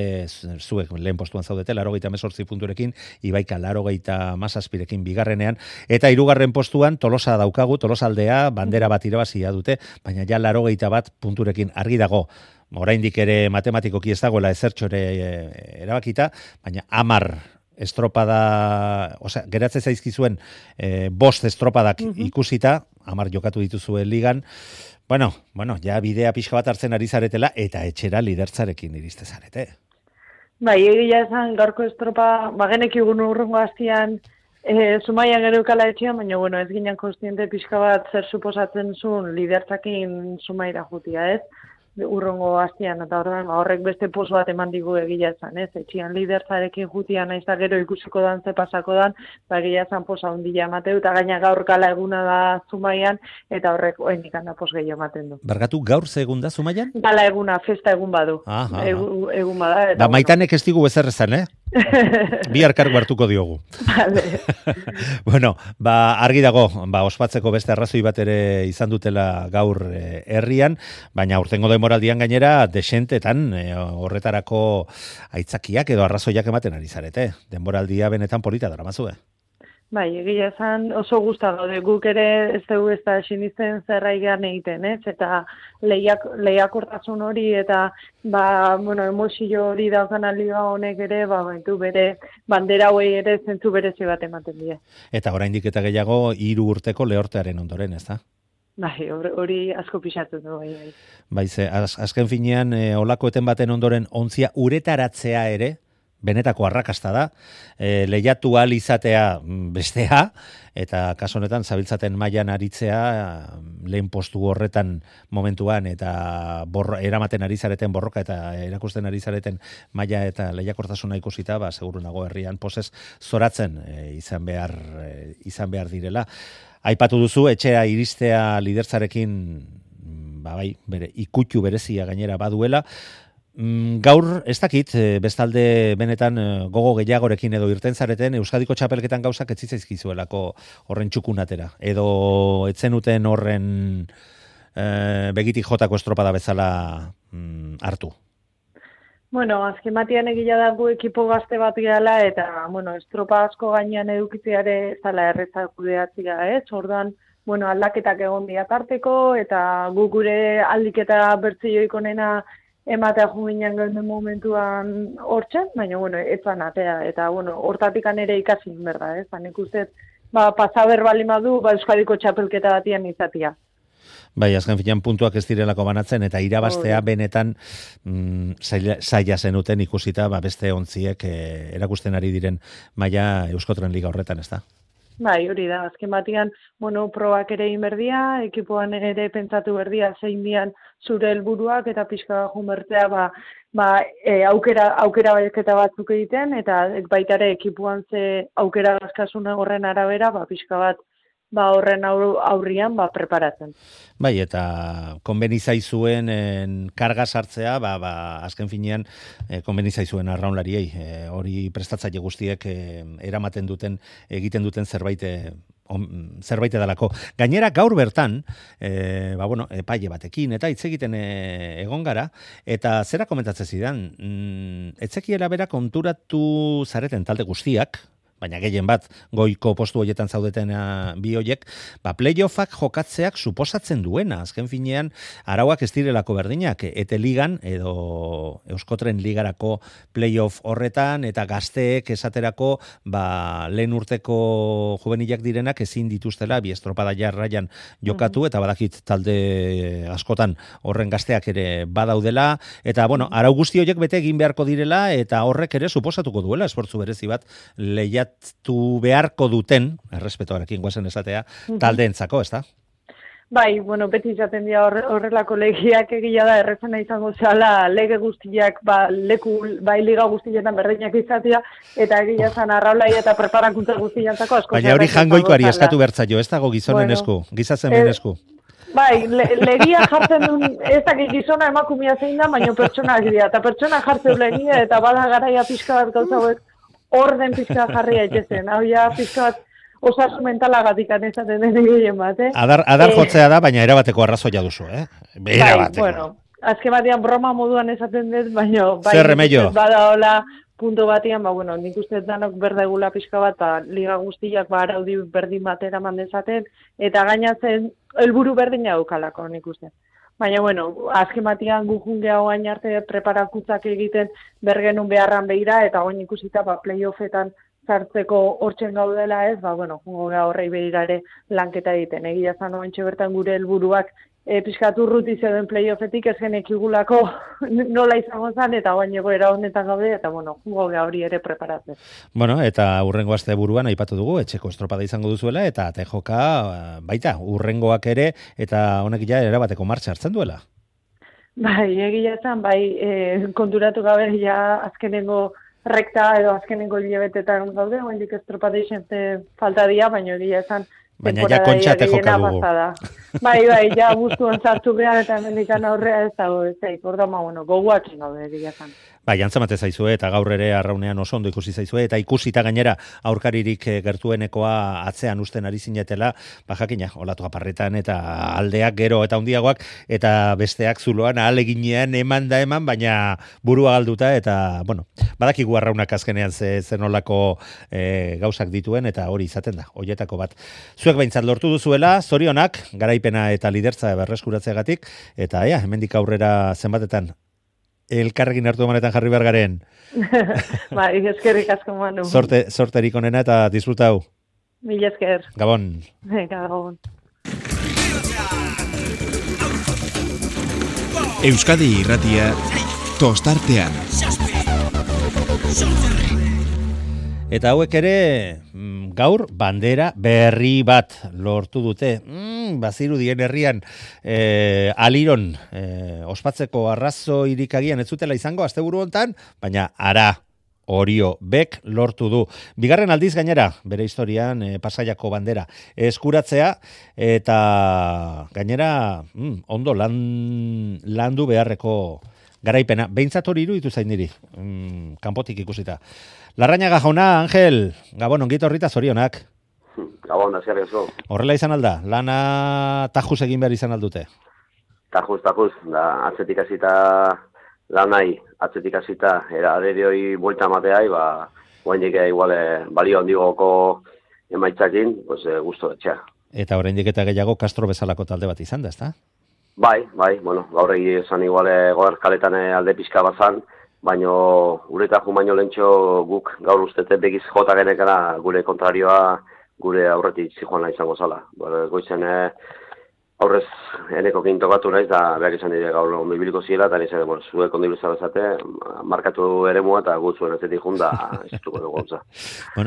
zuek lehen postuan zaudete, 88 punturekin, Ibaika 87rekin bigarrenean, eta 3. postuan Tolosa daukagu, Tolosaldea, bandera bat irabazia dute, baina ja 81 punturekin argi dago, oraindik ere matematikoki ez dagoela ezertxo ere erabakita, baina 10 estropada, geratzen zaizkizuen 5 estropadak ikusita, 10 jokatu dituzuen ligan, ja bidea pixka bat hartzen ari zaretela, eta etxera lidertzarekin iriste zarete. Bai, egia esan, gaurko estropa, genekigun urrungo hastian, Zumaian gereukala etxean, baina, ez ginen konstiente pixka bat zer suposatzen zuen lidertzakin Zumaira jutia, ez? urrongo hastian, eta horrek beste poz bat eman digu egia esan, ez? Etxian liderzarekin jutia naiz da gero ikusiko dan, ze pasako dan, egia esan posa hundila emateu, eta gaina gaur gala eguna da Zumaian, eta horrek oraindik da pos gehiago ematen du. Barkatu, gaur ze egun da Zumaian? Gala eguna, festa egun badu. Egun bada. Eta, Maitanek ez digu bezer esan, Bi arkargu hartuko diogu. Vale. Bueno, argi dago, ospatzeko beste arrazoi bat ere izan dutela gaur herrian, baina urtengo demoraldian gainera desentetan horretarako aitzakiak edo arrazoiak ematen ari zarete. Denboraldia benetan polita daramazue. Bai, egia esan oso gusta gaude, guk ere ez dugu ez da sinisten zerraigan egiten, ez? Eta lehiakortasun hori eta emozio hori daukan liga honek ere, bere bandera hoi ere zentzu berezi bat ematen die. Eta oraindik eta gehiago 3 urteko lehortearen ondoren, ez da? Bai, hori asko pixatu du, bai. Bai, azken finean, olako eten baten ondoren ontzia uretaratzea ere, benetako arrakasta da, lehiatu ahal izatea bestea, eta kaso honetan zabiltzaten mailan aritzea lehen postu horretan momentuan eta eramaten ari zareten borroka eta erakusten ari zareten maila eta lehiakortasuna ikusita, seguru nago herrian posez zoratzen izan behar direla. Aipatu duzu etxea iristea liderzarekin bere ikutxu berezia gainera baduela. Gaur, ez dakit, bestalde benetan gogo gehiagorekin edo irten zareten, Euskadiko txapelketan gauzak ez zitzaizkizuelako horren txukunatera. Edo etzenuten horren begitik jotako estropada bezala hartu. Bueno, azken batean egila dago ekipo gazte bat gala eta, estropa asko gainean edukitzeare ez dela errezak kudeatzea, ez? Orduan, aldaketak egon diatarteko eta guk gure aldiketa bertzioik onena ematea juginan gauden momentuan hortzen, baina, etzan atea, eta, hortatik ere ikasi berda, ez? Nik uste, pasaber bali madu, Euskadiko txapelketa batian izatia. Bai, azken finean puntuak ez direlako banatzen, eta irabaztea benetan zaila zenuten ikusita, beste ontziek erakusten ari diren maila Euskotren Liga horretan, ez da? Bai, hori da, azken batean, probak ere inberdia, ekipoan ere pentsatu berdia zein dian zure helburuak eta pixka junbertzea, aukera baiketa batzuk egiten, eta baita ere ekipuan ze aukera askasuna horren arabera, pixka bat horren aurrian preparatzen. Bai, eta konbenizaizuen karga sartzea, azken finean konbenizaizuen arraunlariei, hori prestatzaile guztiek eramaten duten, egiten duten zerbait edalako. Gainera, gaur bertan, epaile batekin, eta hitz egiten egon gara, eta zera komentatzen zidan, etzekiela bera konturatu zareten talde guztiak, baina gehien bat goiko postu horietan zaudeten bi hoiek, playoffak jokatzeak suposatzen duena, azken finean arauak ez direlako berdinak, ete ligan edo Euskotren ligarako playoff horretan eta gazteek esaterako lehen urteko juvenilak direnak ezin dituztela bi estropada jarraian jokatu eta badakit talde askotan horren gazteak ere badaudela eta arau guzti horiek bete egin beharko direla eta horrek ere suposatuko duela esfortzu berezi bat lehiatu beharko duten, errespetoarekin guazen esatea, taldeentzako, ez da? Bai, beti izaten dira horrelako legiak egila da, errezena izango zala lege guztiak, liga guztietan berdinak izatea, eta egila zan arraulai eta preparakuntza guztiantzako asko. Baina hori jangoikoari eskatu bertzaio, ez dago gizonen esku, gizatzen esku. Bai, legia jartzen duen, ez dakit gizona emakumia zein da, baina pertsonak dira, eta pertsona jartzen legia, eta bada garaia pixka bat gauza orden pixka jarri aitezen. Hau ja pixka bat osasun mentalagatik anezaten den egin bat, Adar jotzea da, baina erabateko arrazoia duzu, Erabateko. Bai, azken batean broma moduan esaten dut, baina zer remedio? Bada hola punto batean, nik uste danok berdegula pixka bat, liga guztiak araudi berdin batera mandezaten, eta gainatzen helburu berdina daukalako, nik uste. Baina, azken batean gujungea oain arte preparakutzak egiten bergenun beharran behira, eta oain ikusita playoffetan sartzeko hortzen gaudela ez, jungo horrei behira ere lanketa egiten. Egia zan oain bertan gure helburuak pixkatu urruti zeuden playoffetik ez genekigulako nola izango zen, eta oain egoera honetan gaude, eta jungo hori ere preparatzen. Eta urrengo aste buruan aipatu dugu, etxeko estropada izango duzuela, eta tejoka baita, urrengoak ere, eta honek ja erabateko martxa hartzen duela. Bai, egia esan, konturatu gabe ja azkenengo rekta edo azkenengo hilabetetan gaude, oraindik estropada falta dira, baina egia esan baina ja kontxate joka dugu. Bai, ja guztuan sartu behar eta hemendikan aurrea ez dago, orduan gogoakin gaude egia esan. Bai, antzemate zaizue eta gaur ere arraunean oso ondo ikusi zaizue eta ikusita gainera aurkaririk gertuenekoa atzean usten ari zinetela, jakina, olatu aparretan eta aldeak gero eta handiagoak eta besteak zuloan ahaleginean eman, baina burua galduta eta, badakigu arraunak azkenean zenolako gauzak dituen eta hori izaten da, hoietako bat. Zuek behintzat lortu duzuela, zorionak, garaipena eta lidertza berreskuratzeagatik, eta hemendik aurrera zenbatetan elkarrekin hartu emanetan jarri behar garen. Bai, eskerrik asko Manu. Sorterik onena eta disfrutau. Mil esker. Gabon. Gabon. Euskadi Irratia tostartean. Eta hauek ere gaur bandera berri bat lortu dute. Bazirudien herrian aliron ospatzeko arrazoirik agian ez zutela izango asteburu hontan, baina ara Orio Bek lortu du. Bigarren aldiz gainera, bere historian Pasaiako bandera eskuratzea eta gainera ondo landu beharreko garaipena. Behintzat hori iruditu zain niri, kanpotik ikusita. Larrañaga jauna, Angel, Gabon, ongito horrita zorionak. Gabon, da zerrezo. Horrela izan alda, lana tajuz egin behar izan aldute? Tajuz, da atzetik hasita lanai, atzetik hasita, era aderioi buelta mateai, oraindik igual balio handigoko emaitzakin, gusto etxea. Eta oraindik eta gehiago Castro bezalako talde bat izan da, ezta? Bai, gaur egi esan igual goer kaletan alde pixka bazan, baino ureta baino lentxo guk gaur ustete begiz jota genekana gure kontrarioa gure aurretik zijoana izango zala. Goizen aurrez eneko tokatu naiz da behar izan dire gaur ondo ibiliko ziela, eta nizan, zuek ondo ibilza bezate, markatu eremua eta gut zuen azetik junda iztuko dugu gauza.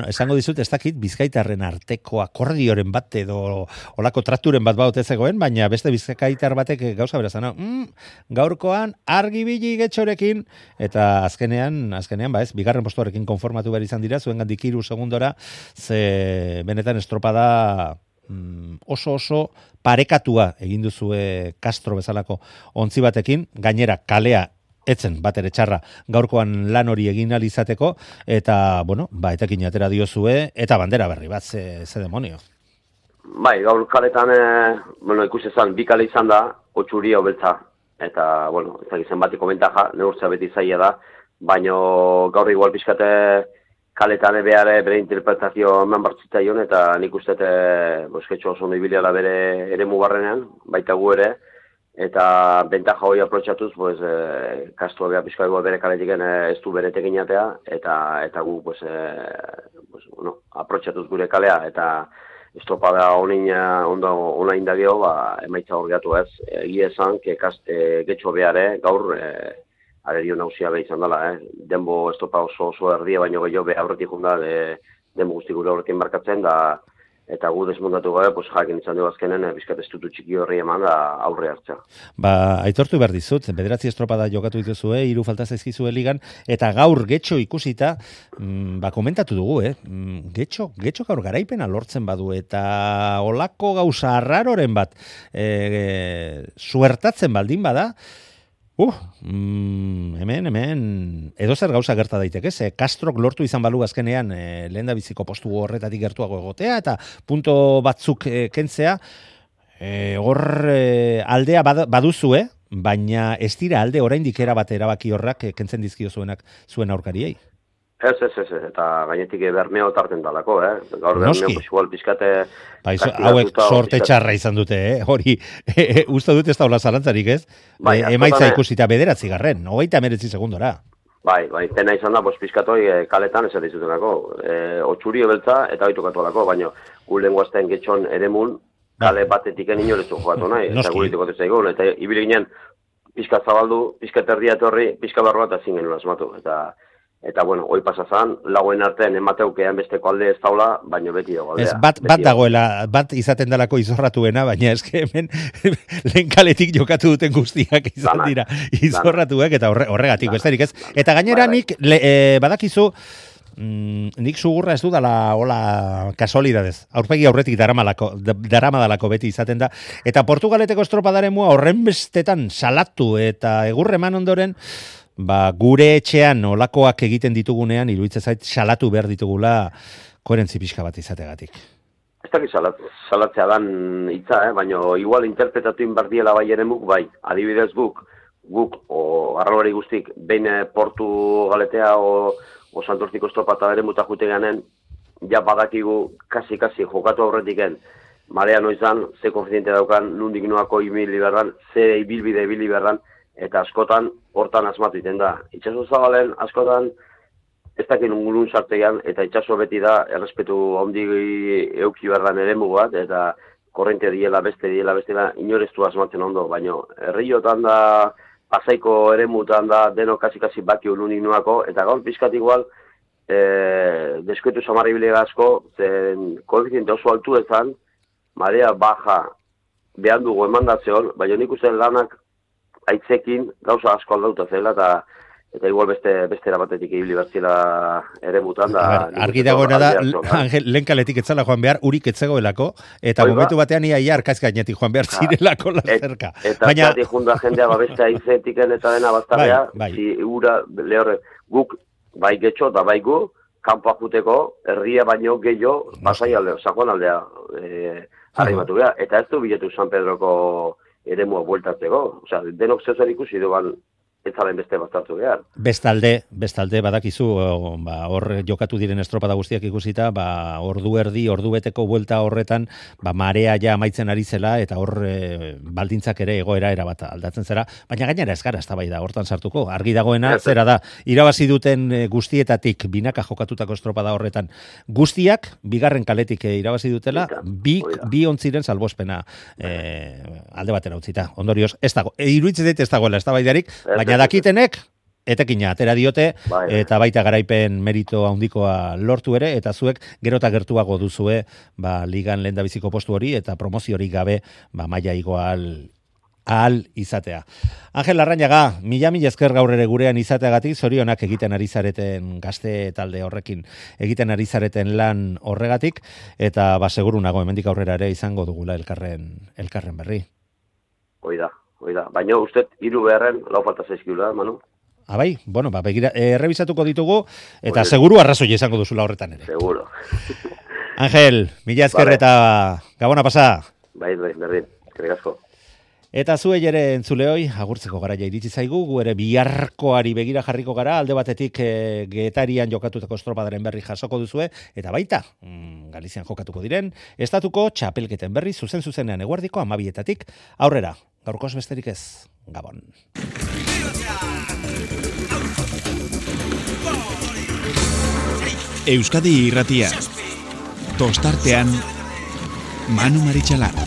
Esango dizut, ez dakit Bizkaitarren arteko akordioren bat edo olako trakturen bat baute zegoen, baina beste Bizkaitar batek gauza berazana. Gaurkoan argibili getxorekin, eta azkenean bigarren postuarekin konformatu behar izan dira, zuen gandik 3 segundora, ze benetan estropada oso parekatua egin duzue Castro bezalako ontzi batekin, gainera kalea etzen bat ere txarra gaurkoan lan hori egin alizateko, eta, etekin atera diozue, eta bandera berri bat, ze demonio. Bai, gaur kaletan, ikusi ezan, 2 kale izan da, 8 uri beltza, eta, ez dakizen batiko bentaja, neurtzea beti zaila da, baina gaur igual pixkate kaletan behar bere interpretazio eman bartzitzaion, eta nik ustete bosketxo oso ondo ibilela bere ere mugarrenean, baita gu ere, eta bentaja hori aprotxatuz, Castro beha pixka bere kaletiken ez du bere tekinatea, eta gu aprotxatuz gure kalea, eta estropada ona indagio, emaitza hor gatu ez. Egia esan, getxo behare gaur arerio nausia beha izan dela, denbo estropa oso erdia, baino gehiago beha aurretik junda, denbo guzti gure horrekin markatzen, eta gu desmondatu gabe, jakin izan dugu azkenen, bizkat estutu txiki horri eman da aurre hartza. Aitortu behar dizut, 9 estropada jokatu dituzue, 3 falta zaizkizue ligan, eta gaur getxo ikusita, komentatu dugu, getxo gaur garaipena lortzen badu, eta olako gauza arraroren bat, suertatzen baldin bada, hemen, edo zer gauza gerta daiteke, Castrok lortu izan balu azkenean lehen biziko postu horretatik gertuago egotea, eta punto batzuk kentzea, hor aldea baduzue, baina ez dira alde oraindik erabat erabaki horrak kentzen dizkio zuen aurkariei. Ez, eta gainetik bermeo tarten dalako, gaur bermeo igual pizkate... Hauek sorte txarra izan dute, hori, uste dut ez da hola zarantzarik, ez? Emaitza ikusita 9 garren, 29 segundora. Bai, pena izan da, pizkatoi kaletan ez edizutenako, 8 beltza eta 8 katualako, baina gu lenguazten getxon eremun, kale batetik inorezu joatu nahi, eta guritiko zaigun, eta ibili ginen, pizkat zabaldu, pizkat erdia etorri, pizkat barroa eta zingen asmatu, eta Eta, bueno, hoi pasazan, lagoen artean emateukean besteko alde ez daula, baino beti dago aldea. Ez, bat dagoela, bat izaten dalako izorratuena, baina eske hemen lehen kaletik jokatu duten guztiak izan dira izorratuak, eta horregatik, besterik ez. Eta gainera nik, badakizu, nik sugurra ez dudala hola kasualidadez. Aurpegi aurretik daramadalako beti izaten da. Eta Portugaleteko estropadaren mua horren bestetan salatu eta egurreman ondoren, gure etxean olakoak egiten ditugunean, iruditzen zait salatu behar ditugula koherentzi pixka bat izategatik. Ez dakit salatzea dan hitza, baina igual interpretatu inbardiela bai eremuk, bai. Adibidez guk, arralari guztik, behin Portugaletea o Santurtziko estropata eremuta jute ganen, ja badakigu kasi jokatu aurretiken, marea noizan, ze koefiziente daukan, nundik noako ibili berran, ze ibilbide ibili berran, eta askotan hortan asmatu iten da. Itxaso zabalen askotan ez dakin ungulun sartean, eta itxaso beti da errespetu handi euki berdan eremu bat, eta korrente diela beste, inoreztu asmatzen ondo, baina herriotan da, Pasaiko eremutan da, deno kasi baki ununik nuako, eta gaur pixkat igual, deskuetu samarri bilega asko, zen koefiziente oso altu ezan, marea baja behan dugu emandatzeon, baina nik uste lanak aitzekin gauza asko aldauta zela, eta igual beste erabatetik ibili bertzela eremutan. Argi dagoena da, Angel, lehen kaletik etzala joan behar, urik etzegoelako, eta momentu batean ia arkaz gainetik joan behar zirelako lazerka. Eta zati junda jendea beste aizetiken eta dena baztarea, ura lehorre, guk bai getxo da bai gu, kanpoa juteko, herria baino gehiago, basai aldea, sakoan aldea arrimatu beha, eta ez du biletu San Pedroko eremua bueltatzeko, osea, denok zezer ikusi duan ez zaren beste bastartu behar. Bestalde, badakizu, hor jokatu diren estropada guztiak ikusita, ordu beteko buelta horretan, marea ja amaitzen ari zela, eta hor baldintzak ere egoera erabat aldatzen zera, baina gainera ez gara, ez da hortan sartuko. Argi dagoena, zera da, irabazi duten guztietatik, binaka jokatutako estropada horretan, guztiak, bigarren kaletik irabazi dutela, bi ontziren salbospena alde batera utzita. Ondorioz, ez dago, iruditzen ez dagoela, ez da baidarik, baina dakitenek, etekina atera diote, eta baita garaipen merito handikoa lortu ere, eta zuek gerota gertuago duzue ligan lehendabiziko postu hori, eta promoziorik gabe maila igoa ahal izatea. Angel Larrañaga, mila esker gaur ere gurean izateagatik, zorionak egiten ari zareten gazte talde horrekin, egiten ari zareten lan horregatik, eta seguru nago hemendik aurrera ere izango dugula elkarren berri. Oida. Baina uste, 3 beharren, lau falta zaizkiula, Manu? Bai, bueno, begira, errebisatuko ditugu, eta seguru arrazoi izango duzula horretan ere. Seguro. Angel, mila esker eta gabona pasa. Bai, berdin, eskerrik asko. Eta zuei ere entzuleoi, agurtzeko garaia iritsi zaigu, gu ere biharkoari begira jarriko gara, alde batetik Getarian jokatutako estropadaren berri jasoko duzue, eta baita, Galizian jokatuko diren, estatuko txapelketen berri zuzenean eguerdiko 12:00 aurrera. Gaurkoz besterik ez, Gabon. Euskadi Irratia. Tostartean Manu Maritxalar.